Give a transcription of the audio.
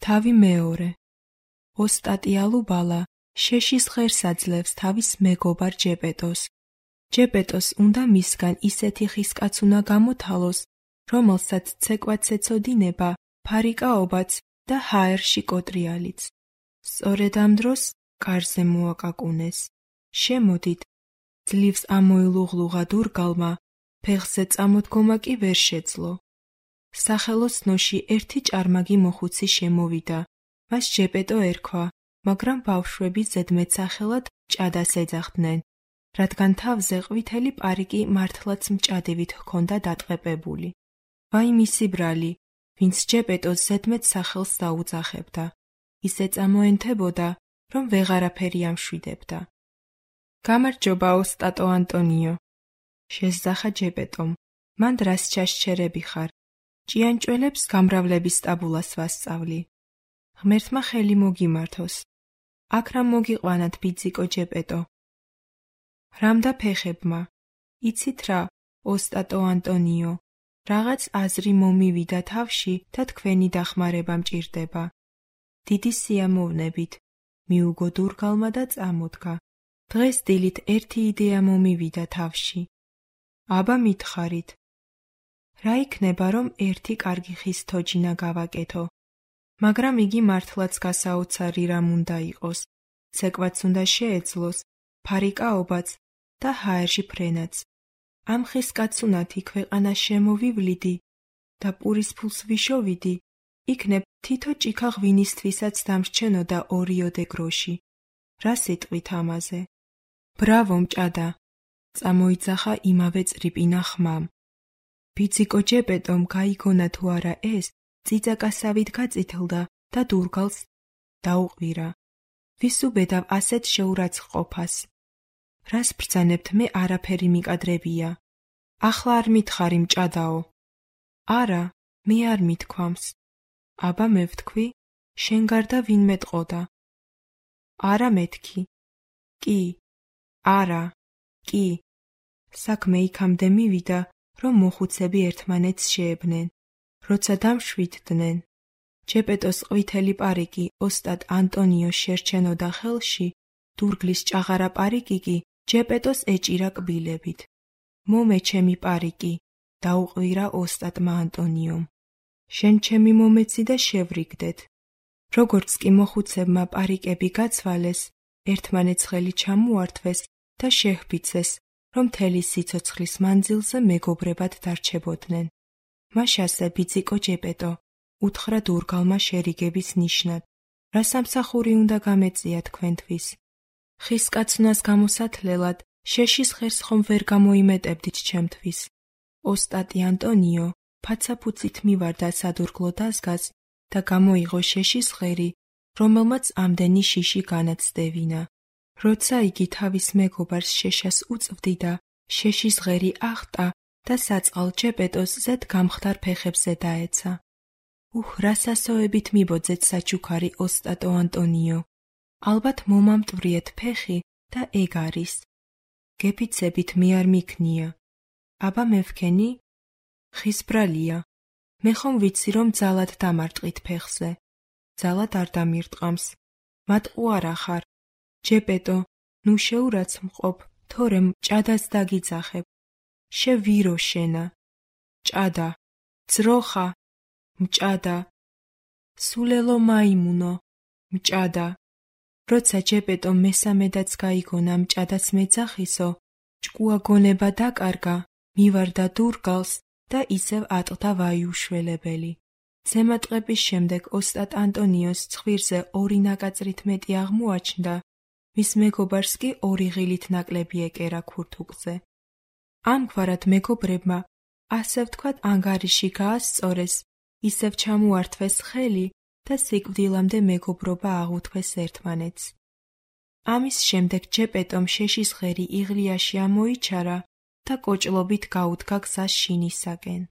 თავი მეორე. ოსტატი ალუბალა შეშის ღერს აძლევს თავის მეგობარ ჯეპეტოს. ჯეპეტოს უნდა მისგან ისეთი ხისკაცუნა გამოთალოს, რომელსაც ცეკვაც ეწოდინება, ფარიკაობაც და ჰაერში კოტრიალიც. სწორედ ამ დროს კარზე მოაკაკუნეს. შემოდით, ძლივს ამოილუღლუღა დურგალმა, ფეხზე წამოდგომა კი ვერ შეძლო. სახელოსნოში ერთი ჭარმაგი მოხუცი შემოვიდა, მას ჯეპეტო ერქვა, მაგრამ ბავშვები ზედმეტსახელად ჭადას ეძახდნენ, რადგან თავზე ყვითელი პარიკი მართლაც მჭადივით ჰქონდა დატყეპებული. ვაი მისი ბრალი, ვინც ჯეპეტოს ზედმეტსახელს დაუძახებდა, ისე წამოენთებოდა, რომ ვეღარაფერი ამშვიდებდა. გამარჯობა, ოსტატო ანტონიო, შესძახა ჯეპეტომ, მან დრას ჩასჩერები ხარ. ჭიანჭველებს გამრავლების ტაბულას ვასწავლი. ღმერთმა ხელი მოგიმართოს. აქ რა მოგიყვანათ, ბიძიკო ჯეპეტო? რამდა ფეხებმა? იცით რა, ოსტატო ანტონიო, რაღაც აზრი მომივიდა თავში და თქვენი დახმარება მჭირდება. დიდი სიამოვნებით, მიუგო დურგალმა და წამოდგა. დღეს დილით ერთი იდეა მომივიდა თავში. აბა მითხარით. რა იქნება, რომ ერთი კარგი ხის თოჯინა გავაკეთო, მაგრამ იგი მართლაც გასაოცარი რამ უნდა იყოს, ცეკვაც უნდა შეეძლოს, ფარიკაობაც და ჰაერში ფრენაც. ამ ხის კაცუნათი ქვეყანა შემოვივლიდი და პურის ფულს ვიშოვიდი, იქნებ თითო ჭიქა ღვინისთვისაც დამრჩენოდა 2 გროში. რა სიტყვით ამაზე? ბრავო მჭადა, წამოიძახა იმავე წრიპინა ხმამ. ბიძიკო ჯეპეტომ გაიგონა თუ არა ეს, წიწაკასავით გაწითლდა და დურგალს დაუყვირა. ვის უბედავ ასეთ შეურაცხყოფას? რას ბრძანებთ, მე არაფერი მიკადრებია. ახლა არ მითხარი მჭადაო? არა, მე არ მithქვამს. აბა მე ვთქვი, შენ გარდა ვინ მეტყოდა? არა მეთქი. კი, არა, კი. საქმე იქამდე მივიდა, რომ მოხუცები ერთმანეთს შეებნენ. როცა დამშვიდდნენ, ჯეპეტოს ყვითელი პარიკი ოსტატ ანტონიოს შერჩენოდა ხელში, დურგლის ჭაღარა პარიკი კი ჯეპეტოს ეჭირა კბილებით. მომე ჩემი პარიკი, დაუყვირა ოსტატმა ანტონიომ. შენ ჩემი მომეცი და შევრიგდეთ. როგორც კი მოხუცებმა პარიკები გაცვალეს, ერთმანეთს ხელი ჩამოართვეს და შეჰბიცეს, რომ მთელი სიცოცხლის მანძილზე მეგობრებად დარჩებოდნენ. მაშასე ბიძიკო ჯეპეტო, უთხრა დურგალმა შერიგების ნიშნად, რა სამსახური უნდა გამეწია თქვენთვის? ხის კაცუნას გამოსათლელად შეშის ღერს ხომ ვერ გამოიმეტებდით ჩემთვის? ოსტატი ანტონიო ფაცაფუცით მივარდა სადურგლო დაზგას და გამოიღო შეშის ღერი, რომელმაც ამდენი შიში განაცდევინა. როცა იგი თავის მეგობარს შეშას უწვდიდა, შეშის ღერი ახტა და საწყალ ჯეპეტოს ზედ გამხდარ ფეხებზე დაეცა. რა სასოებით მიბოძეთ საჩუქარი, ოსტატო ანტონიო. ალბათ მომამტვრიეთ ფეხი და ეგ არის. გეფიცებით მე არ მიქნია. აბა მე ვქენი? ხის ბრალია. მე ხომ ვიცი, რომ ძალად დამარტყით ფეხზე. ძალად არ დამირტყამს. მატყუ არა ხარ. ჯეპეტო, ნუ შეურაცხმყოფ, თორემ ჭადას დაგიძახებ. შევირო შენა. ჭადა, ძროხა, მჭადა. სულელო მაიმუნო, მჭადა. როცა ჯეპეტო მესამედაც გაიგონა მჭადას მეძახისო, ჭკუა გონება დაკარგა, მივარდა დურგალს და ისევ ატყდა ვაიუშველებელი. ზემატყების შემდეგ ოსტატ ანტონიოს ცხვირზე 2 ნაკაწრით მეტი აღმოაჩნდა, მის მეგობარს კი 2 ღილით ნაკლები ეკერა ქურთუკზე. ამგვარად მეგობრებმა, ასე ვთქვათ, ანგარიში გაასწორეს, ისევ ჩამოართვეს ხელი და სიკვდილამდე მეგობრობა აღუთქვეს ერთმანეთს. ამის შემდეგ ჯეპეტომ შეშის ღერი იღლიაში ამოიჩარა და კოჭლობით გაუდგა გზას შინისაკენ.